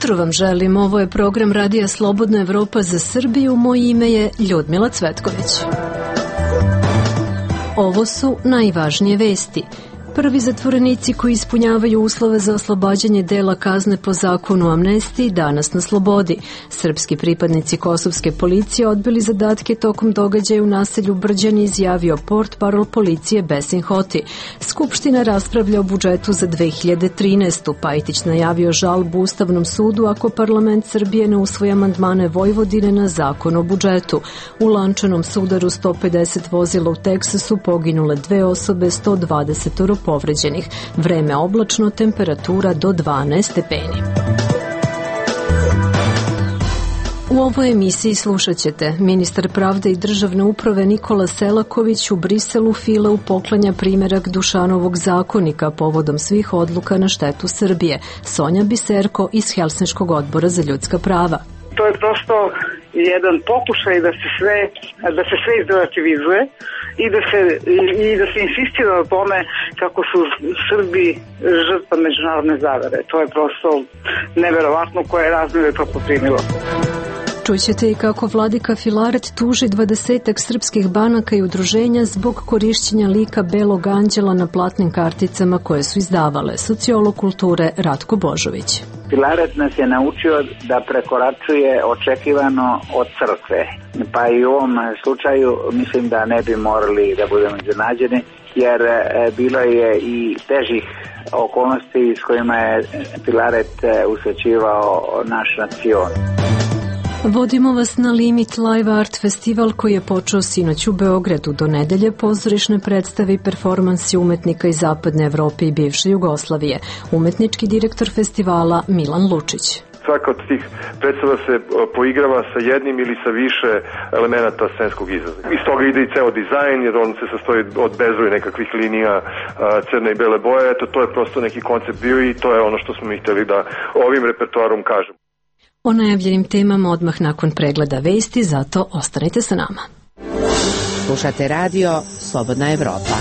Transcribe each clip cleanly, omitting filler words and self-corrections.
jutro vam želim. Ovo je program Radija Slobodna Evropa za Srbiju. Moje ime je Ljudmila Cvetković. Ovo su najvažnije vesti. Prvi zatvorenici koji ispunjavaju uslove za oslobađanje dela kazne po zakonu o amnestiji danas na slobodi. Srpski pripadnici kosovske policije odbili zadatke tokom događaja u naselju Brđani, izjavio portparol policije Besim Hoti. Skupština raspravlja o budžetu za 2013. Pajtić najavio žalbu Ustavnom sudu ako parlament Srbije ne usvoji amandmane Vojvodine na zakon o budžetu. U lančanom sudaru 150 vozila u Teksasu poginule 2 osobe, 120 povređenih. Vreme oblačno, temperatura do 12 stepeni. U ovoj emisiji slušat ćete: ministar pravde i državne uprave Nikola Selaković u Briselu Fileu poklanja primerak Dušanovog zakonika povodom svih odluka na štetu Srbije. Sonja Biserko iz Helsinškog odbora za ljudska prava. To je prosto jedan pokušaj da se sve izrelativizuje i da se insistira o tome kako su Srbi žrtva međunarodne zavere. To je prosto neverovatno koje razmjere to poprimilo. Čućete i kako vladika Filaret tuži 20-ak srpskih banaka i udruženja zbog korišćenja lika Belog anđela na platnim karticama koje su izdavale. Sociolog kulture Ratko Božović. Filaret nas je naučio da prekoračuje očekivano od crkve. Pa i u ovom slučaju mislim da ne bi morali da budemo iznenađeni, jer bilo je i težih okolnosti s kojima je Filaret usrećivao naš nacion. Vodimo vas na Limit Live Art festival koji je počeo sinoć u Beogradu. Do nedelje pozorišne predstave i performansi umetnika iz Zapadne Evrope i bivše Jugoslavije. Umetnički direktor festivala Milan Lučić. Svaka od tih predstava se poigrava sa jednim ili sa više elemenata scenskog izraza. Iz toga ide i ceo dizajn, jer on se sastoji od bezbroj nekakvih linija crne i bele boje. To je prosto neki koncept bio i to je ono što smo mi hteli da ovim repertoarom kažemo. O najavljenim temama odmah nakon pregleda vesti, zato ostanite sa nama. Slušate radio Slobodna Evropa.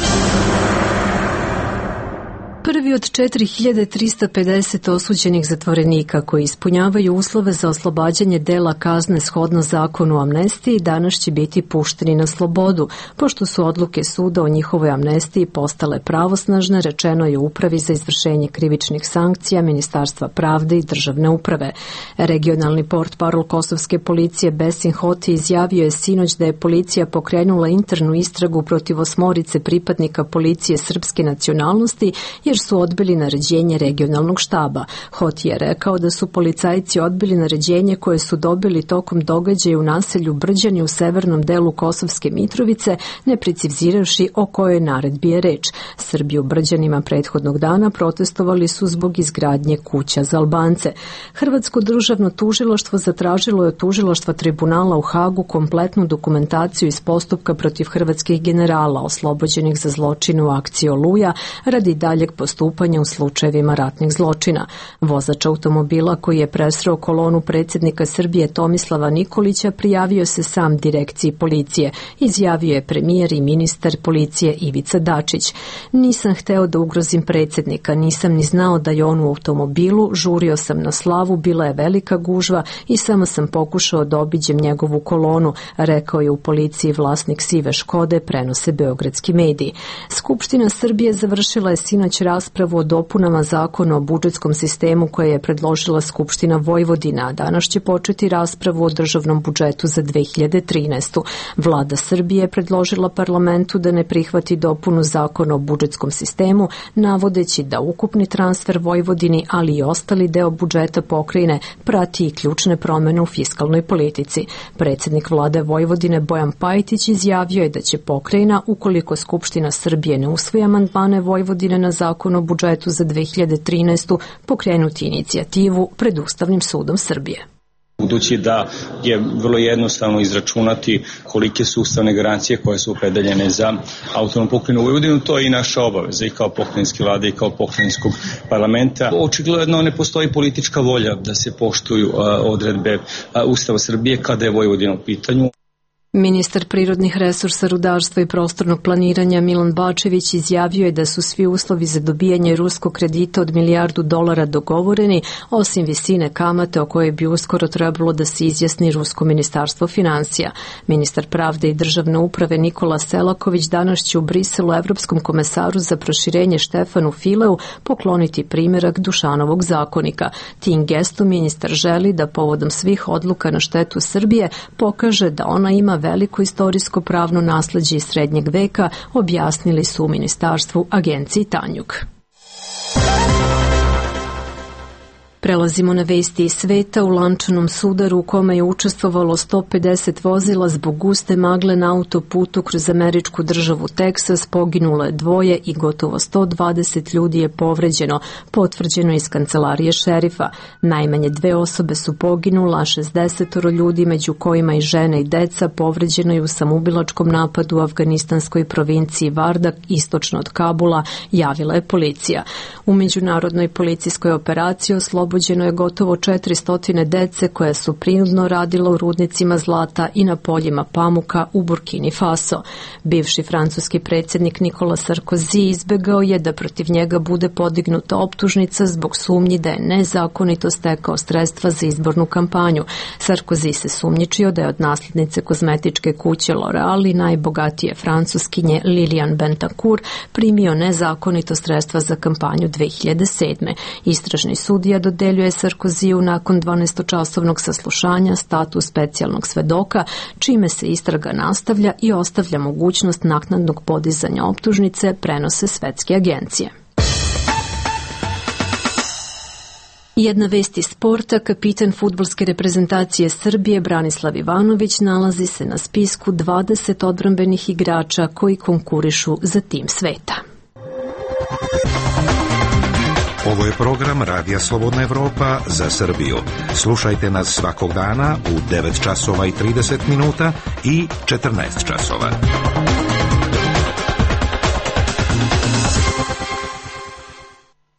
Prvi od 4350 osuđenih zatvorenika koji ispunjavaju uslove za oslobađanje dela kazne shodno zakonu o amnestiji danas će biti pušteni na slobodu. Pošto su odluke suda o njihovoj amnestiji postale pravosnažne, rečeno je Upravi za izvršenje krivičnih sankcija Ministarstva pravde i državne uprave. Regionalni portparol kosovske policije Besim Hoti izjavio je sinoć da je policija pokrenula internu istragu protiv 8 pripadnika policije srpske nacionalnosti jer su odbili naređenje regionalnog štaba. Hoti je rekao da su policajci odbili naređenje koje su dobili tokom događaja u naselju Brđani u severnom delu Kosovske Mitrovice, ne precizirajući o kojoj naredbi je reč. Srbi u Brđanima prethodnog dana protestovali su zbog izgradnje kuća za Albance. Hrvatsko državno tužilaštvo zatražilo je od tužilaštva tribunala u Hagu kompletnu dokumentaciju iz postupka protiv hrvatskih generala oslobođenih za zločine u akciji Oluja radi daljeg postupanja u slučajevima ratnih zločina. Vozač automobila koji je presreo kolonu predsjednika Srbije Tomislava Nikolića prijavio se sam direkciji policije, izjavio je premijer i ministar policije Ivica Dačić. Nisam hteo da ugrozim predsjednika, nisam ni znao da je on u automobilu, žurio sam na slavu, bila je velika gužva i samo sam pokušao da obiđem njegovu kolonu, rekao je u policiji vlasnik sive Škode, prenose beogradski mediji. Skupština Srbije završila je sinoć raspravu o dopunama zakona o budžetskom sistemu koje je predložila Skupština Vojvodina, a danas će početi raspravu o državnom budžetu za 2013. Vlada Srbije je predložila parlamentu da ne prihvati dopunu zakona o budžetskom sistemu, navodeći da ukupni transfer Vojvodini, ali i ostali deo budžeta pokrajine prati i ključne promene u fiskalnoj politici. Predsjednik vlade Vojvodine Bojan Pajtić izjavio je da će pokrajina, ukoliko Skupština Srbije ne usvoji amandmane Vojvodine na zakon o budžetu za 2013. pokrenuti inicijativu pred Ustavnim sudom Srbije. Budući da je vrlo jednostavno izračunati kolike su ustavne garancije koje su opredeljene za autonomnu pokrajinu Vojvodinu, to je i naša obaveza i kao pokrajinske vlade i kao pokrajinskog parlamenta. Očigledno ne postoji politička volja da se poštuju odredbe Ustava Srbije kada je Vojvodina u pitanju. Ministar prirodnih resursa, rudarstva i prostornog planiranja Milan Bačević izjavio je da su svi uslovi za dobijanje ruskog kredita od $1 milijardu dogovoreni, osim visine kamate o kojoj bi uskoro trebalo da se izjasni Rusko ministarstvo financija. Ministar pravde i državne uprave Nikola Selaković danas će u Briselu Evropskom komesaru za proširenje Štefanu Fileu pokloniti primjerak Dušanovog zakonika. Tim gestom ministar želi da povodom svih odluka na štetu Srbije pokaže da ona ima veliko istorijsko pravno nasleđe iz srednjeg veka, objasnili su u ministarstvu agenciji Tanjug. Prelazimo na vesti iz sveta. U lančanom sudaru u kome je učestvovalo 150 vozila zbog guste magle na autoputu kroz američku državu Teksas poginulo je 2 i gotovo 120 ljudi je povređeno, potvrđeno iz kancelarije šerifa. Najmanje 2 osobe su poginula, a 60 ljudi, među kojima i žene i deca, povređeno je u samoubilačkom napadu u afganistanskoj provinciji Vardak, istočno od Kabula, javila je policija. U međunarodnoj policijskoj operaciji oslobođeno je gotovo 400 dece koja su prinudno radila u rudnicima zlata i na poljima pamuka u Burkini Faso. Bivši francuski predsjednik Nikola Sarkozy izbegao je da protiv njega bude podignuta optužnica zbog sumnji da je nezakonito stekao sredstva za izbornu kampanju. Sarkozy se sumnjičio da je od nasljednice kozmetičke kuće L'Oréal i najbogatije francuskinje Liliane Bentancourt primio nezakonito sredstva za kampanju 2007. Istražni sudija dodeljuje Sarkoziju nakon 12-časovnog saslušanja status specijalnog svedoka, čime se istraga nastavlja i ostavlja mogućnost naknadnog podizanja optužnice, prenose svetske agencije. Jedna vest iz sporta, kapitan fudbalske reprezentacije Srbije Branislav Ivanović nalazi se na spisku 20 odbrambenih igrača koji konkurišu za tim sveta. Ovo je program Radija Slobodna Evropa za Srbiju. Slušajte nas svakog dana u 9 časova i 30 minuta i 14 časova.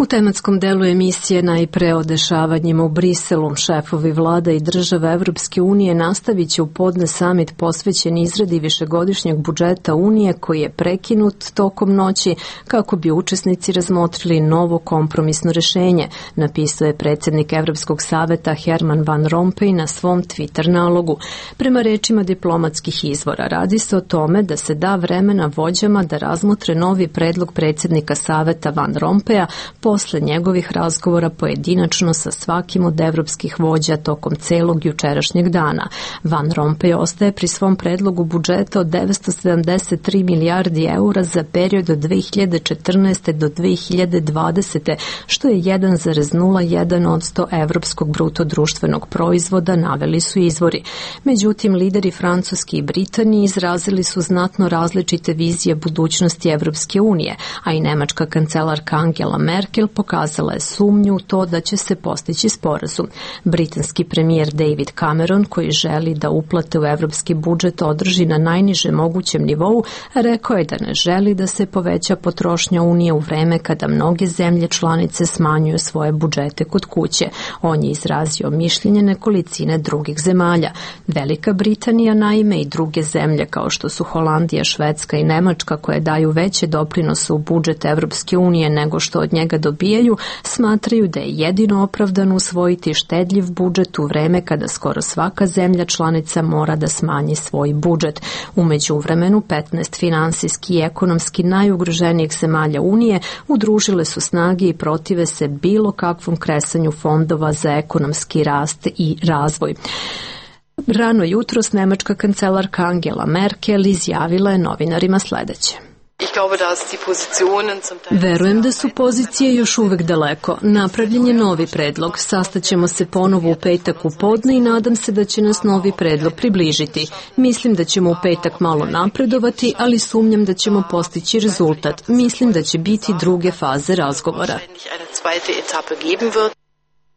U tematskom delu emisije najpre o dešavanjima u Briselu. Šefovi vlada i država Evropske unije nastavit će u podne samit posvećen izradi višegodišnjeg budžeta Unije koji je prekinut tokom noći kako bi učesnici razmotrili novo kompromisno rešenje, napisao je predsjednik Evropskog saveta Herman Van Rompuy na svom Twitter nalogu. Prema rečima diplomatskih izvora, radi se o tome da se da vremena vođama da razmotre novi predlog predsjednika saveta Van Rompuya posle njegovih razgovora pojedinačno sa svakim od evropskih vođa tokom celog jučerašnjeg dana. Van Rompuy ostaje pri svom predlogu budžeta od 973 milijardi eura za period od 2014. do 2020. što je 1,01% evropskog bruto društvenog proizvoda, naveli su izvori. Međutim, lideri Francuske i Britanije izrazili su znatno različite vizije budućnosti Evropske unije, a i nemačka kancelarka Angela Merkel pokazala je sumnju u to da će se postići sporazum. Britanski premijer David Cameron, koji želi da uplate u evropski budžet održi na najnižem mogućem nivou, rekao je da ne želi da se poveća potrošnja Unije u vreme kada mnoge zemlje članice smanjuju svoje budžete kod kuće. On je izrazio mišljenje nekolicine drugih zemalja. Velika Britanija, naime, i druge zemlje kao što su Holandija, Švedska i Nemačka, koje daju veće doprinose u budžet Evropske unije nego što od njega dobijaju, smatraju da je jedino opravdano usvojiti štedljiv budžet u vreme kada skoro svaka zemlja članica mora da smanji svoj budžet. U međuvremenu 15 finansijski i ekonomski najugroženijih zemalja Unije udružile su snage i protive se bilo kakvom kresanju fondova za ekonomski rast i razvoj. Rano jutros nemačka kancelarka Angela Merkel izjavila je novinarima sledeće. Verujem da su pozicije još uvek daleko. Napravljen je novi predlog. Sastaćemo se ponovo u petak u podne i nadam se da će nas novi predlog približiti. Mislim da ćemo u petak malo napredovati, ali sumnjam da ćemo postići rezultat. Mislim da će biti druge faze razgovora.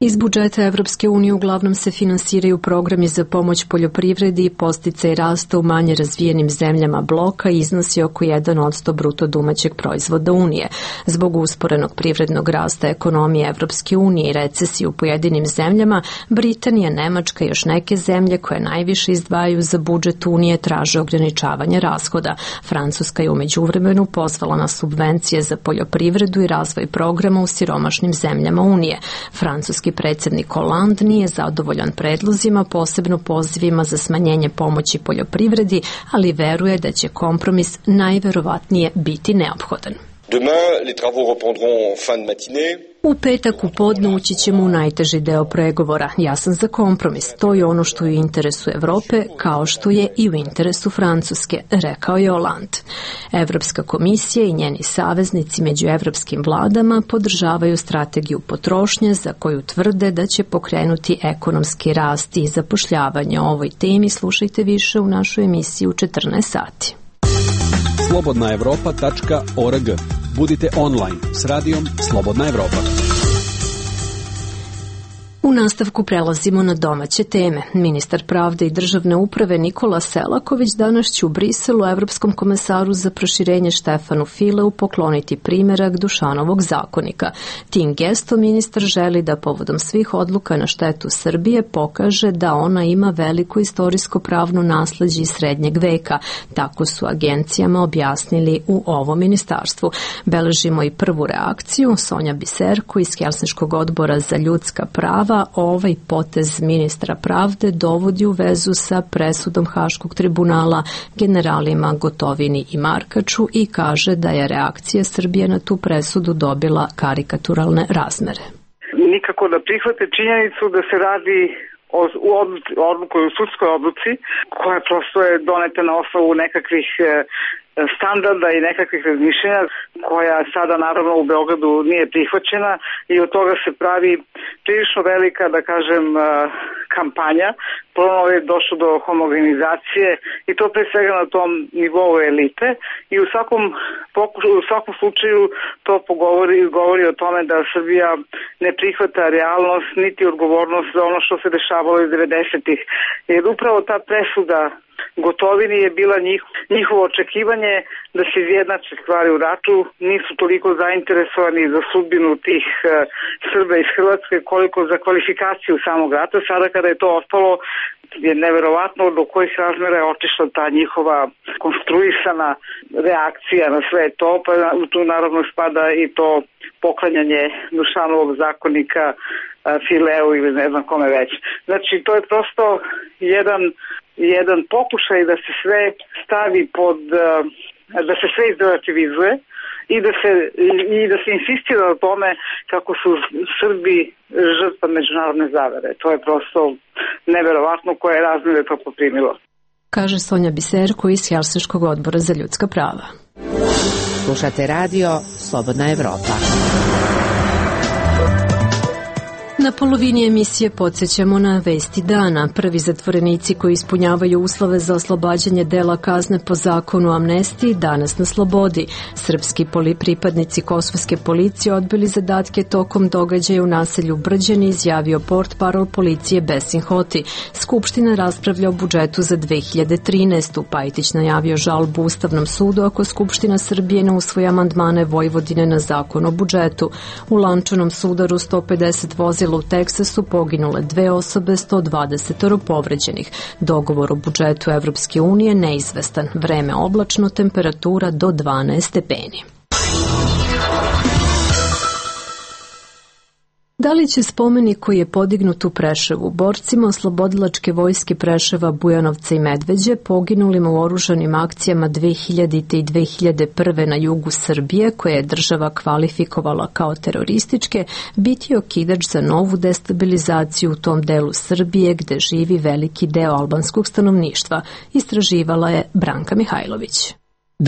Iz budžeta Evropske unije uglavnom se finansiraju programi za pomoć poljoprivredi i podsticaj rasta u manje razvijenim zemljama bloka i iznosi oko 1% bruto domaćeg proizvoda Unije. Zbog usporenog privrednog rasta ekonomije Evropske unije i recesije u pojedinim zemljama, Britanija, Nemačka i još neke zemlje koje najviše izdvajaju za budžet Unije traže ograničavanje rashoda. Francuska je u međuvremenu pozvala na subvencije za poljoprivredu i razvoj programa u siromašnim zemljama Unije. Francuski predsjednik Hollande nije zadovoljan predlozima, posebno pozivima za smanjenje pomoći poljoprivredi, ali veruje da će kompromis najverovatnije biti neophodan. Demain, les travaux reprendront en fin de matinée. U petak u podne ući ćemo u najteži deo pregovora. Ja sam za kompromis. To je ono što je u interesu Evrope, kao što je i u interesu Francuske, rekao je Hollande. Evropska komisija i njeni saveznici među evropskim vladama podržavaju strategiju potrošnje za koju tvrde da će pokrenuti ekonomski rast i zapošljavanje. O ovoj temi slušajte više u našoj emisiji u 14 sati. slobodnaevropa.org. Budite online s radijom Slobodna Evropa. U nastavku prelazimo na domaće teme. Ministar pravde i državne uprave Nikola Selaković danas će u Briselu Evropskom komesaru za proširenje Štefanu Fileu pokloniti primerak Dušanovog zakonika. Tim gestom ministar želi da povodom svih odluka na štetu Srbije pokaže da ona ima veliko istorijsko pravno nasleđe iz srednjeg veka. Tako su agencijama objasnili u ovom ministarstvu. Beležimo i prvu reakciju. Sonja Biserko iz Helsinškog odbora za ljudska prava ovaj potez ministra pravde dovodi u vezu sa presudom Haškog tribunala generalima Gotovini i Markaču i kaže da je reakcija Srbije na tu presudu dobila karikaturalne razmere. Nikako da prihvate činjenicu da se radi o sudskoj odluci koja prosto je doneta na osnovu nekakvih standarda i nekakvih razmišljenja koja sada naravno u Beogradu nije prihvaćena i od toga se pravi prilično velika, da kažem, kampanja. Ponovno je došlo do homogenizacije i to pre svega na tom nivou elite i u svakom slučaju to govori o tome da Srbija ne prihvata realnost niti odgovornost za ono što se dešavalo iz 90-ih. Jer upravo ta presuda Gotovini je bila njihovo očekivanje da se izjednače stvari u ratu, nisu toliko zainteresovani za sudbinu tih Srba iz Hrvatske koliko za kvalifikaciju samog rata. Sada kada je to ostalo, je neverovatno do kojih razmera je otišla ta njihova konstruisana reakcija na sve to, pa tu naravno spada i to poklanjanje Dušanovog zakonika Fileu ili ne znam kome već. Znači to je prosto jedan pokušaj da se sve stavi da se sve izrelativizuje i da se insistira na tome kako su Srbi žrtva međunarodne zavere. To je prosto neverovatno koje razmere to poprimilo. Kaže Sonja Biserko iz Helsinškog odbora za ljudska prava. Slušate radio Slobodna Evropa. Na polovini emisije podsjećamo na vesti dana. Prvi zatvorenici koji ispunjavaju uslove za oslobađanje dela kazne po zakonu o amnestiji danas na slobodi. Srpski pripadnici kosovske policije odbili zadatke tokom događaja u naselju Brđani, izjavio portparol policije Besim Hoti. Skupština raspravlja o budžetu za 2013. Pajtić najavio žalbu Ustavnom sudu ako Skupština Srbije ne usvoji amandmane Vojvodine na zakon o budžetu. U lančanom sudaru 150 vozila u Teksasu poginule 2 osobe, 120 povređenih. Dogovor o budžetu Evropske unije neizvestan. Vreme oblačno, temperatura do 12 stepeni. Da li će spomenik koji je podignut u Preševu borcima oslobodilačke vojske Preševa, Bujanovca i Medveđe, poginulima u oružanim akcijama 2000. i 2001. na jugu Srbije, koje je država kvalifikovala kao terorističke, biti okidač za novu destabilizaciju u tom delu Srbije gde živi veliki deo albanskog stanovništva, istraživala je Branka Mihajlović.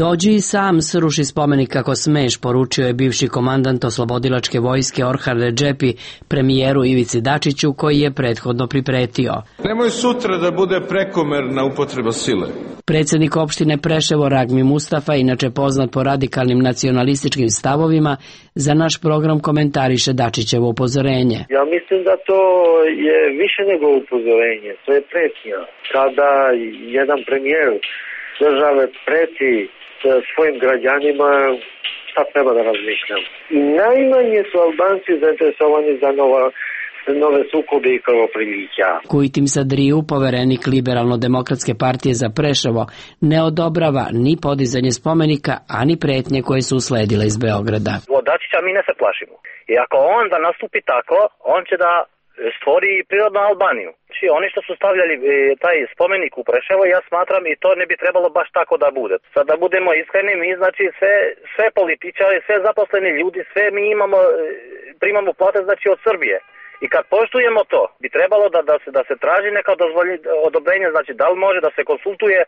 Dođi i sam sruši spomenik kako smeš, poručio je bivši komandant oslobodilačke vojske Orhan Redžepi premijeru Ivici Dačiću, koji je prethodno pripretio. Nemoj sutra da bude prekomerna upotreba sile. Predsjednik opštine Preševo Ragmi Mustafa, inače poznat po radikalnim nacionalističkim stavovima, za naš program komentariše Dačićevo upozorenje. Ja mislim da to je više nego upozorenje, to je pretnja. Kada jedan premijer države preti svojim građanima, šta treba da razmišljam. I najmanje su Albanci zainteresovani za nove sukobe i krvoprilića. Kujtim Sadriju, poverenik Liberalno-demokratske partije za Preševo, ne odobrava ni podizanje spomenika, ani pretnje koje su usledile iz Beograda. Od Dačića mi ne se plašimo. I ako on da nastupi tako, on će da stvori prirodnu Albaniju. Znači, oni što su stavljali taj spomenik u Preševo, ja smatram i to ne bi trebalo baš tako da bude. Sad da budemo iskreni, mi znači sve političari, sve zaposleni ljudi, sve mi primamo plate znači od Srbije. I kad poštujemo to, bi trebalo da se traži neka odobrenje, znači da li može da se konsultuje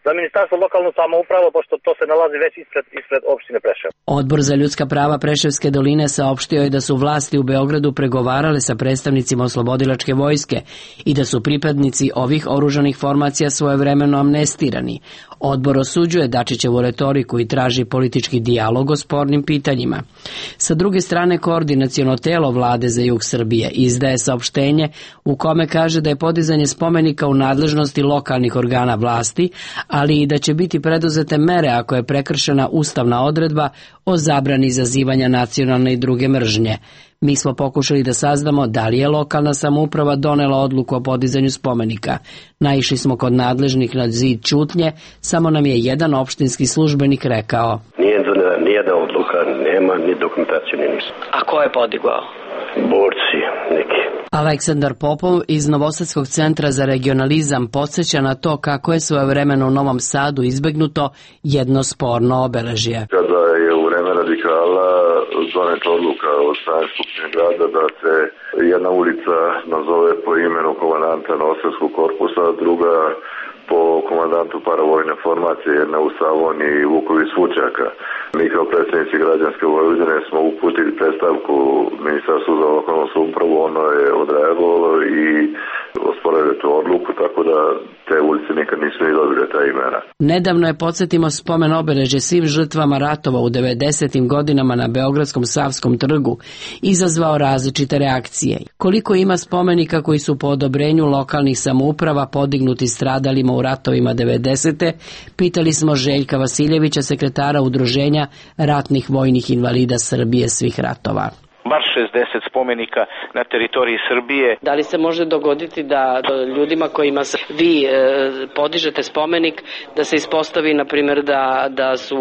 za Ministarstvo lokalnu samoupravu, pošto to se nalazi već ispred opštine Preševo. Odbor za ljudska prava Preševske doline saopštio je da su vlasti u Beogradu pregovarale sa predstavnicima oslobodilačke vojske i da su pripadnici ovih oružanih formacija svojevremeno amnestirani. Odbor osuđuje Dačićevu retoriku i traži politički dijalog o spornim pitanjima. Sa druge strane, koordinaciono telo vlade za jug Srbije izdaje saopštenje u kome kaže da je podizanje spomenika u nadležnosti lokalnih organa vlasti, ali i da će biti preduzete mere ako je prekršena ustavna odredba o zabrani izazivanja nacionalne i druge mržnje. Mi smo pokušali da saznamo da li je lokalna samouprava donela odluku o podizanju spomenika. Naišli smo kod nadležnih na zid ćutnje, samo nam je jedan opštinski službenik rekao. Nije donela nijedna odluka, nema ni dokumentaciju, ni ništa. A ko je podigao? Borci neki. Aleksandar Popov iz Novosadskog centra za regionalizam podsjeća na to kako je svojevremeno u Novom Sadu izbegnuto jedno sporno obeležje. Kada je u vreme radikala doneta odluka od strane Skupštine grada da se jedna ulica nazove po imenu komandanta Novosadskog korpusa, druga po komandantu paravojne formacije, jedna u Savoni i Vuković Vučaka. Mi kao predstavnici građanske Vojvodine smo uputili predstavku Ministarstvu za lokalnu samoupravu, ono je odreagovalo i osporavaju tu odluku, tako da te ulice nikad nisu ni dobile ta imena. Nedavno je, podsjetimo, spomen obeležje svim žrtvama ratova u 90. godinama na Beogradskom Savskom trgu izazvao različite reakcije. Koliko ima spomenika koji su po odobrenju lokalnih samouprava podignuti stradalima u ratovima 90. pitali smo Željka Vasiljevića, sekretara udruženja ratnih vojnih invalida Srbije svih ratova. Bar 60 spomenika na teritoriji Srbije. Da li se može dogoditi da ljudima kojima vi podižete spomenik, da se ispostavi, na primjer, da su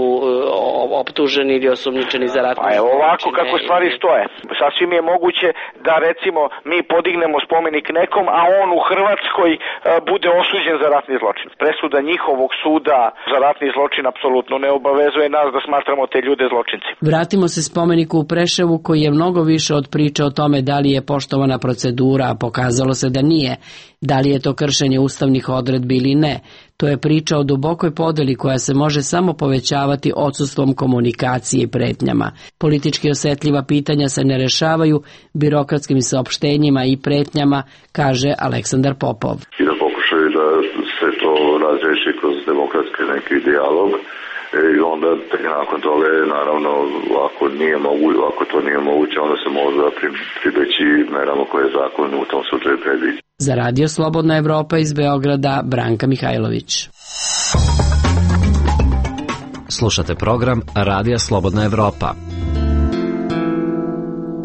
optuženi ili osumnjičeni za ratne zločine? Ovako kako stvari stoje. Sasvim je moguće da, recimo, mi podignemo spomenik nekom, a on u Hrvatskoj bude osuđen za ratni zločin. Presuda njihovog suda za ratni zločin apsolutno ne obavezuje nas da smatramo te ljude zločinci. Vratimo se spomeniku u Preševu, koji je mnogo više od priče o tome da li je poštovana procedura, a pokazalo se da nije, da li je to kršenje ustavnih odredbi ili ne. To je priča o dubokoj podeli koja se može samo povećavati odsustvom komunikacije i pretnjama. Politički osetljiva pitanja se ne rešavaju birokratskim saopštenjima i pretnjama, kaže Aleksandar Popov. I da pokušaju da se to razreši kroz demokratski neki dijalog. I onda nakon toga, naravno, ako to nije moguće, onda se može pribeći merama koje zakon u tom slučaju predviđa. Za Radio Slobodna Evropa iz Beograda, Branka Mihajlović. Slušate program Radija Slobodna Evropa.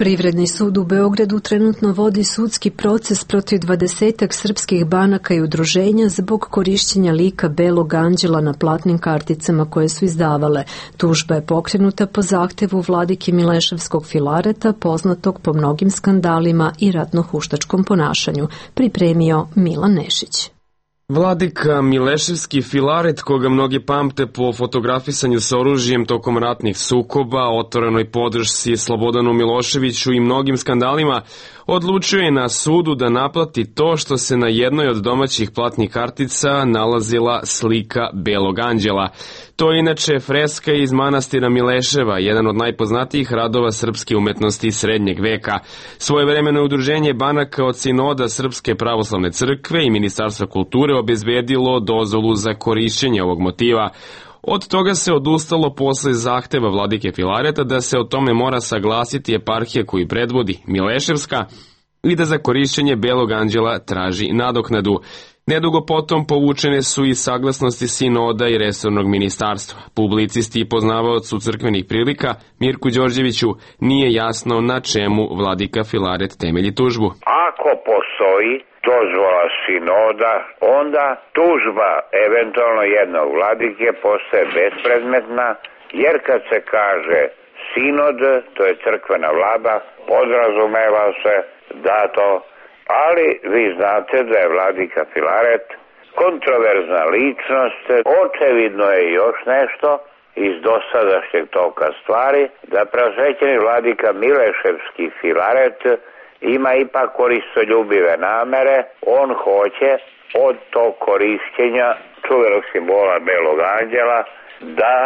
Privredni sud u Beogradu trenutno vodi sudski proces protiv 20-ak srpskih banaka i udruženja zbog korišćenja lika Belog anđela na platnim karticama koje su izdavale. Tužba je pokrenuta po zahtevu vladike Mileševskog Filareta, poznatog po mnogim skandalima i ratno-huštačkom ponašanju. Pripremio Milan Nešić. Vladika Mileševski Filaret, koga mnogi pamte po fotografisanju sa oružjem tokom ratnih sukoba, otvorenoj podršci Slobodanu Miloševiću i mnogim skandalima, odlučio je na sudu da naplati to što se na jednoj od domaćih platnih kartica nalazila slika Belog anđela. To je inače freska iz manastira Mileševa, jedan od najpoznatijih radova srpske umetnosti srednjeg veka. Svojevremeno udruženje banaka od Sinoda Srpske pravoslavne crkve i Ministarstva kulture obezbedilo dozvolu za korišćenje ovog motiva. Od toga se odustalo posle zahteva vladike Filareta da se o tome mora saglasiti eparhija koju predvodi Mileševska i da za korišćenje Belog anđela traži nadoknadu. Nedugo potom povučene su i saglasnosti Sinoda i resornog ministarstva. Publicisti i poznavaocu crkvenih prilika Mirku Đorđeviću nije jasno na čemu vladika Filaret temelji tužbu. Ako postoji dozvola Sinoda, onda tužba eventualno jednog vladike postaje bespredmetna, jer kad se kaže Sinod, to je crkvena vlada, podrazumeva se da to, ali vi znate da je vladika Filaret kontroverzna ličnost. Očevidno je još nešto iz dosadašnjeg toka stvari, da preosvećeni vladika Mileševski Filaret ima ipak koristoljubive namere. On hoće od tog korišćenja čuvenog simbola Belog anđela da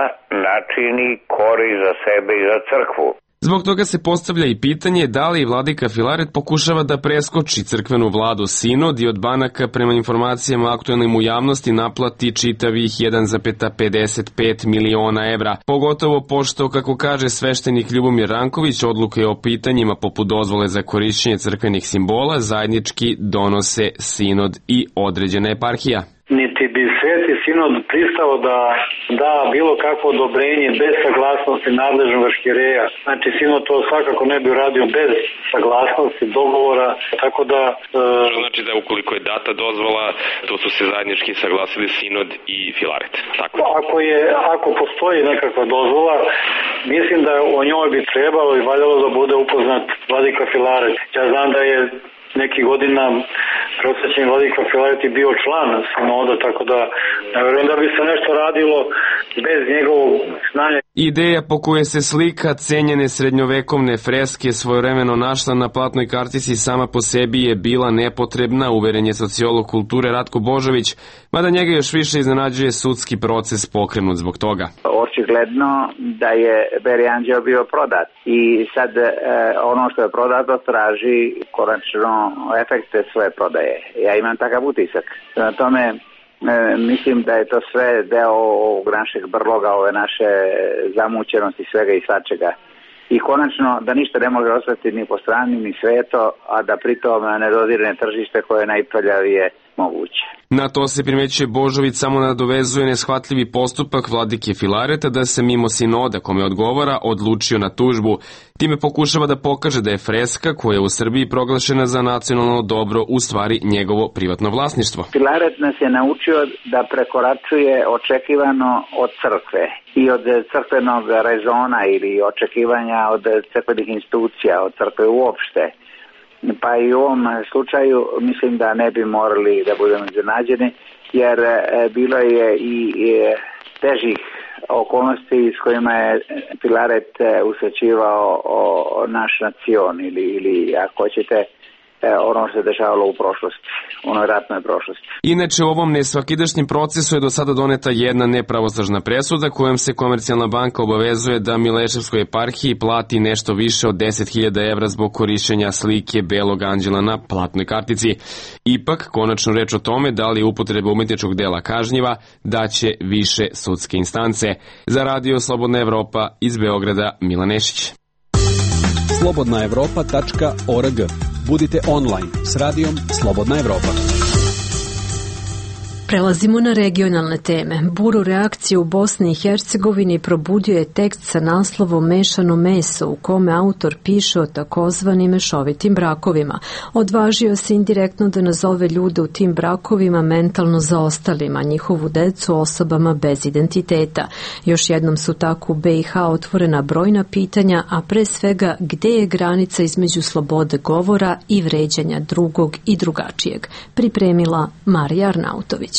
načini korist za sebe i za crkvu. Zbog toga se postavlja i pitanje da li vladika Filaret pokušava da preskoči crkvenu vladu Sinod i od banaka prema informacijama aktuelnim u javnosti naplati čitavih 1,55 miliona evra. Pogotovo pošto, kako kaže sveštenik Ljubomir Ranković, odluke o pitanjima poput dozvole za korišćenje crkvenih simbola zajednički donose Sinod i određena eparhija. Niti bi Sveti Sinod pristao da da bilo kakvo odobrenje bez saglasnosti nadležnog arhijereja. Znači Sinod to svakako ne bi uradio bez saglasnosti, dogovora, tako da... Što znači da ukoliko je data dozvola, to su se zajednički saglasili Sinod i Filaret, tako? Ako postoji nekakva dozvola, mislim da o njoj bi trebalo i valjalo da bude upoznat vladika Filaret. Ja znam da je neki godina prosvećeni vladika Filaret je bio član Sinoda, tako da ne vjerujem da bi se nešto radilo bez njegovog znanja. Ideja po kojoj se slika cenjene srednjovekovne freske svojevremeno našla na platnoj kartici sama po sebi je bila nepotrebna, uveren je sociolog kulture Ratko Božović, mada njega još više iznenađuje sudski proces pokrenut zbog toga. Očigledno da je Beli anđeo bio prodat i sad ono što je prodato traži konačno efekte svoje prodaje. Ja imam takav utisak. Na tome mislim da je to sve deo ovog našeg brloga, ove naše zamućenosti svega i svačega. I konačno da ništa ne može ostati ni po strani ni sveto, a da pritom ne dodirne tržište koje je najprljavije moguće. Na to se primećuje Božović samo nadovezuje neshvatljivi postupak vladike Filareta da se mimo Sinoda kome odgovara odlučio na tužbu. Time pokušava da pokaže da je freska koja je u Srbiji proglašena za nacionalno dobro u stvari njegovo privatno vlasništvo. Filaret nas je naučio da prekoračuje očekivano od crkve i od crkvenog rezona ili očekivanja od crkvenih institucija, od crkve uopšte. Pa i u ovom slučaju mislim da ne bi morali da budemo iznenađeni, jer bilo je i težih okolnosti s kojima je Filaret usrećivao naš nacion ili ako hoćete ono što se dešavalo u prošlosti, onoj ratnoj prošlosti. Inače, u ovom nesvakidašnjem procesu je do sada doneta jedna nepravosnažna presuda kojom se Komercijalna banka obavezuje da Mileševskoj eparhiji plati nešto više od 10.000 evra zbog korišćenja slike Belog anđela na platnoj kartici. Ipak, konačno reč o tome da li je upotreba umetničkog dela kažnjiva, daće više sudske instance. Za Radio Slobodna Evropa iz Beograda, Milan Nešić. slobodnaevropa.org. Budite online s radijom Slobodna Evropa. Prelazimo na regionalne teme. Buru reakciju u Bosni i Hercegovini probudio je tekst sa naslovom Mešano meso, u kome autor piše o takozvanim mešovitim brakovima. Odvažio se indirektno da nazove ljude u tim brakovima mentalno zaostalima, njihovu decu osobama bez identiteta. Još jednom su tako u BiH otvorena brojna pitanja, a pre svega gde je granica između slobode govora i vređanja drugog i drugačijeg. Pripremila Marija Arnautović.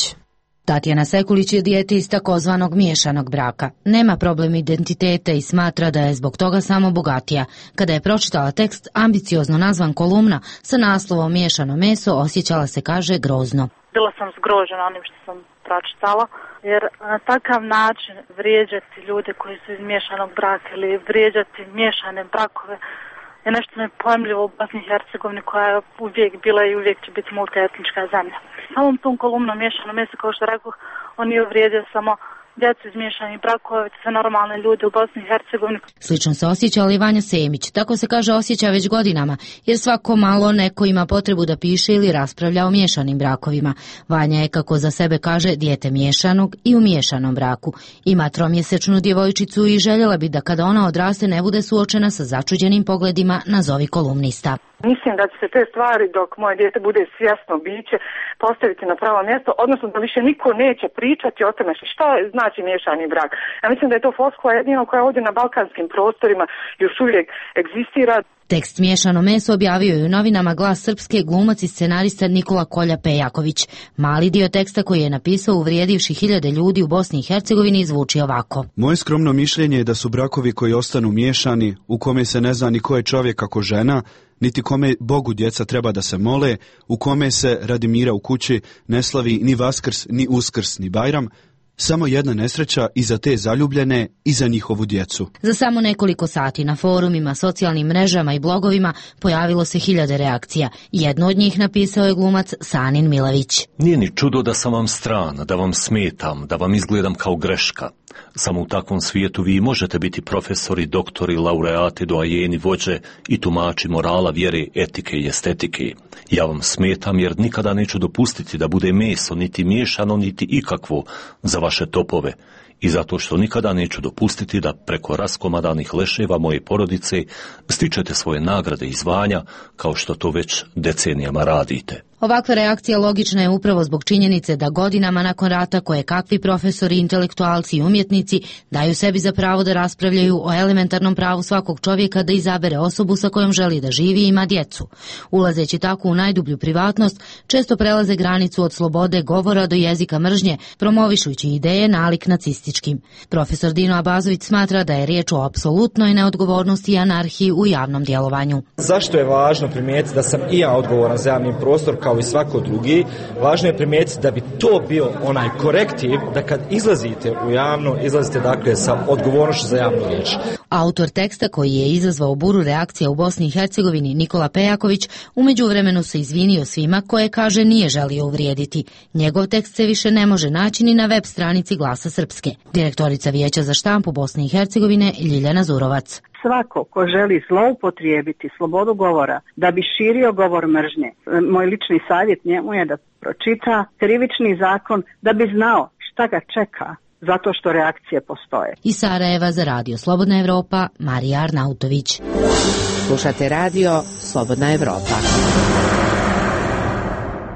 Tatjana Sekulić je dijete iz takozvanog miješanog braka. Nema problem identiteta i smatra da je zbog toga samo bogatija. Kada je pročitala tekst, ambiciozno nazvan kolumna sa naslovom Miješano meso, osjećala se, kaže, grozno. Bila sam zgrožena onim što sam pročitala, jer na takav način vrijeđati ljude koji su iz miješanog braka ili vrijeđati miješane brakove je nešto nepojmljivo u Bosni i Hercegovini, koja je uvijek bila i uvijek će biti multietnička zemlja. Samom tom kolumnom Miješano meso, kao što rekao, on je uvrijedio samo djecu iz miješanih brakova, sve normalne ljude u Bosni i Hercegovini. Slično se osjećala i Vanja Semić. Tako se, kaže, osjeća već godinama, jer svako malo neko ima potrebu da piše ili raspravlja o miješanim brakovima. Vanja je, kako za sebe kaže, dijete miješanog i u miješanom braku. Ima 3-mjesečnu djevojčicu i željela bi da kada ona odraste ne bude suočena sa začuđenim pogledima nazovi kolumnista. Mislim da će se te stvari, dok moje dijete bude svjesno biće, postaviti na pravo mjesto, odnosno da više niko neće pričati o tome šta znači miješani brak. Ja mislim da je to floskula jedino koja ovdje na balkanskim prostorima još uvijek egzistira. Tekst Miješano meso objavio je u novinama Glas Srpske glumac i scenarista Nikola Kolja Pejaković. Mali dio teksta koji je napisao uvrijedivši hiljade ljudi u Bosni i Hercegovini zvuči ovako. Moje skromno mišljenje je da su brakovi koji ostanu miješani, u kome se ne zna ni ko je čovjek kako žena, niti kome Bogu djeca treba da se mole, u kome se radi mira u kući ne slavi ni Vaskrs, ni Uskrs, ni Bajram, samo jedna nesreća i za te zaljubljene i za njihovu djecu. Za samo nekoliko sati na forumima, socijalnim mrežama i blogovima pojavilo se hiljade reakcija. Jednu od njih napisao je glumac Sanin Milević. Nije ni čudo da sam vam stran, da vam smetam, da vam izgledam kao greška. Samo u takvom svijetu vi možete biti profesori, doktori, laureati, doajeni, vođe i tumači morala, vjere, etike i estetike. Ja vam smetam jer nikada neću dopustiti da bude meso, niti miješano, niti ikakvo za vaše topove. I zato što nikada neću dopustiti da preko raskomadanih leševa moje porodice stičete svoje nagrade i zvanja kao što to već decenijama radite. Ovakva reakcija logična je upravo zbog činjenice da godinama nakon rata koje kakvi profesori, intelektualci i umjetnici daju sebi za pravo da raspravljaju o elementarnom pravu svakog čovjeka da izabere osobu sa kojom želi da živi i ima djecu. Ulazeći tako u najdublju privatnost, često prelaze granicu od slobode govora do jezika mržnje, promovišući ideje nalik nacističkim. Profesor Dino Abazović smatra da je riječ o apsolutnoj neodgovornosti i anarhiji u javnom djelovanju. Zašto je važno primijetiti da sam i ja odgovoran za javni prostor kao i svako drugi? Važno je primijetiti da bi to bio onaj korektiv da kad izlazite u javno, izlazite dakle sa odgovornošću za javnu riječ. Autor teksta koji je izazvao buru reakcija u Bosni i Hercegovini, Nikola Pejaković, u međuvremenu se izvinio svima koje, kaže, nije želio uvrijediti. Njegov tekst se više ne može naći ni na web stranici Glasa Srpske. Direktorica Vijeća za štampu Bosne i Hercegovine Ljiljana Zurovac. Svako ko želi zloupotrijebiti slobodu govora da bi širio govor mržnje, moj lični savjet njemu je da pročita Krivični zakon da bi znao šta ga čeka, zato što reakcije postoje. Iz Sarajeva za Radio Slobodna Evropa, Marija Arnautović. Slušate Radio Slobodna Evropa.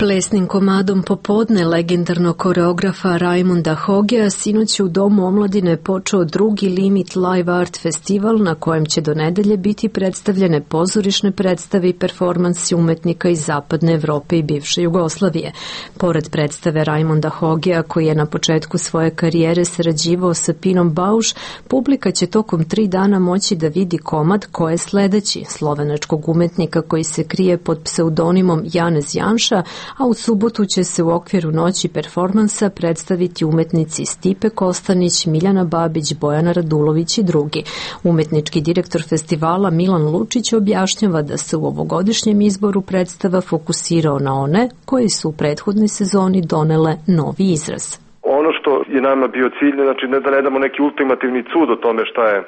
Plesnim komadom popodne legendarnog koreografa Rajmunda Hogea sinoć u Domu omladine počeo drugi Limit Live Art Festival na kojem će do nedelje biti predstavljene pozorišne predstave i performansi umetnika iz Zapadne Evrope i bivše Jugoslavije. Pored predstave Rajmunda Hogea, koji je na početku svoje karijere sarađivao sa Pinom Bauš, publika će tokom 3 dana moći da vidi komad ko je sledeći, slovenačkog umetnika koji se krije pod pseudonimom Janez Janša, a u subotu će se u okviru noći performansa predstaviti umetnici Stipe Kostanić, Miljana Babić, Bojana Radulović i drugi. Umetnički direktor festivala Milan Lučić objašnjava da se u ovogodišnjem izboru predstava fokusirao na one koji su u prethodnoj sezoni donele novi izraz. Ono što je nama bio cilj, znači ne da ne damo neki ultimativni cud o tome šta je,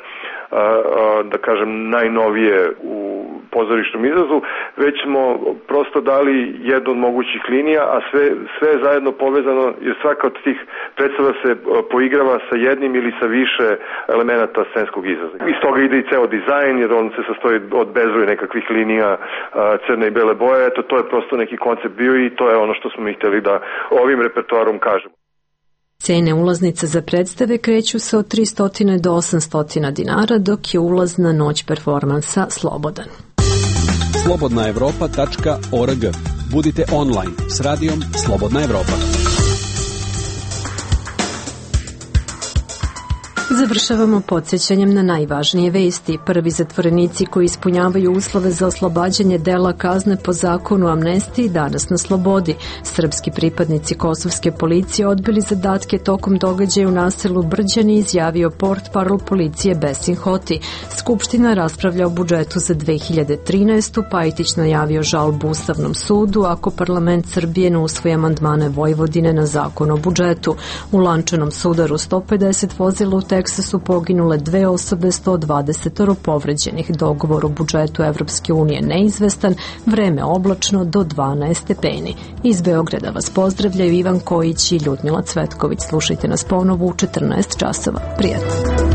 da kažem, najnovije u pozorišnom izrazu, već smo prosto dali jednu od mogućih linija, a sve je zajedno povezano, jer svaka od tih predstava se poigrava sa jednim ili sa više elemenata scenskog izraza. Iz toga ide i ceo dizajn, jer on se sastoji od bezbroj nekakvih linija crne i bele boje. Eto, to je prosto neki koncept bio i to je ono što smo mi hteli da ovim repertoarom kažemo. Cene ulaznica za predstave kreću se od 300 do 800 dinara, dok je ulaz na noć performansa slobodan. slobodnaevropa.org. Budite online s radijom Slobodna Evropa. Završavamo podsjećanjem na najvažnije vesti. Prvi zatvorenici koji ispunjavaju uslove za oslobađanje dela kazne po zakonu o amnestiji danas na slobodi. Srpski pripadnici kosovske policije odbili zadatke tokom događaja u naselu Brđani, izjavio portparol policije Besin Hoti. Skupština raspravlja o budžetu za 2013. Pajtić najavio žalbu Ustavnom sudu ako parlament Srbije ne usvoji amandmane Vojvodine na zakon o budžetu. U lančanom sudaru 150 vozila u Teksasu poginule 2 osobe, 120 povređenih. Dogovor o budžetu Evropske unije neizvestan, vreme oblačno do 12 stepeni. Iz Beograda vas pozdravljaju Ivan Kojić i Ljudmila Cvetković. Slušajte nas ponovo u 14 časova. Prijatno.